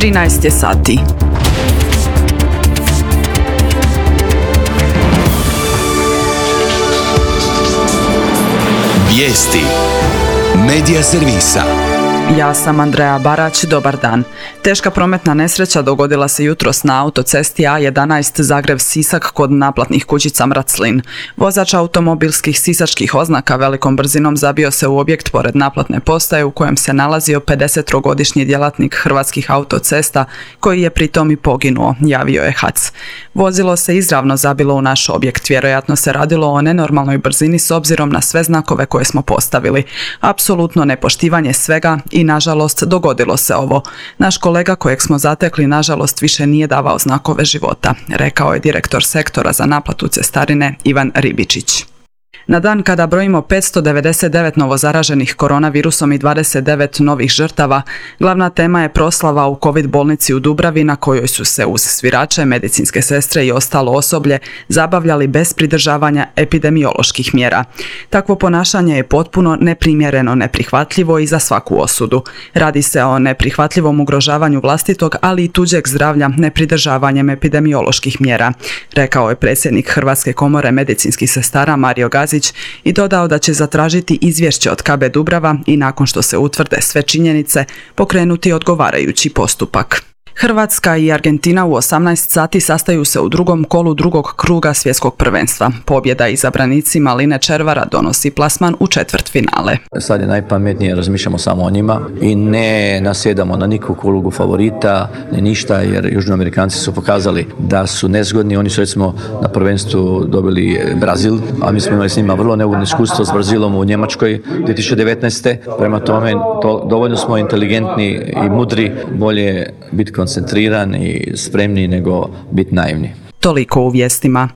13 je sati. Vijesti Medija servisa. Ja sam Andreja Barać, dobar dan. Teška prometna nesreća dogodila se jutros na autocesti A11 Zagreb-Sisak kod naplatnih kućica Mraclin. Vozač automobilskih sisačkih oznaka velikom brzinom zabio se u objekt pored naplatne postaje u kojem se nalazio 53-godišnji djelatnik Hrvatskih autocesta koji je pritom i poginuo, javio je HAC. Vozilo se izravno zabilo u naš objekt, vjerojatno se radilo o nenormalnoj brzini s obzirom na sve znakove koje smo postavili. Apsolutno nepoštivanje svega i nažalost dogodilo se ovo. Naš kolega kojeg smo zatekli nažalost više nije davao znakove života, rekao je direktor sektora za naplatu cestarine Ivan Ribičić. Na dan kada brojimo 599 novozaraženih koronavirusom i 29 novih žrtava, glavna tema je proslava u COVID bolnici u Dubravi na kojoj su se uz svirače, medicinske sestre i ostalo osoblje zabavljali bez pridržavanja epidemioloških mjera. Takvo ponašanje je potpuno neprimjereno, neprihvatljivo i za svaku osudu. Radi se o neprihvatljivom ugrožavanju vlastitog, ali i tuđeg zdravlja nepridržavanjem epidemioloških mjera, rekao je predsjednik Hrvatske komore medicinskih sestara Mario Gazić i dodao da će zatražiti izvješće od KB Dubrava i nakon što se utvrde sve činjenice pokrenuti odgovarajući postupak. Hrvatska i Argentina u 18 sati sastaju se u drugom kolu drugog kruga svjetskog prvenstva. Pobjeda izabranicima Line Červara donosi plasman u četvrtfinale. Sad je najpametnije, razmišljamo samo o njima i ne nasjedamo na nikakvu ulogu favorita, ne ništa, jer Južnoamerikanci su pokazali da su nezgodni. Oni su recimo na prvenstvu dobili Brazil, a mi smo imali s njima vrlo neugodno iskustvo s Brazilom u Njemačkoj 2019. Prema tome, dovoljno smo inteligentni i mudri, bolje biti koncentriran i spremni nego biti naivni. Toliko u vijestima.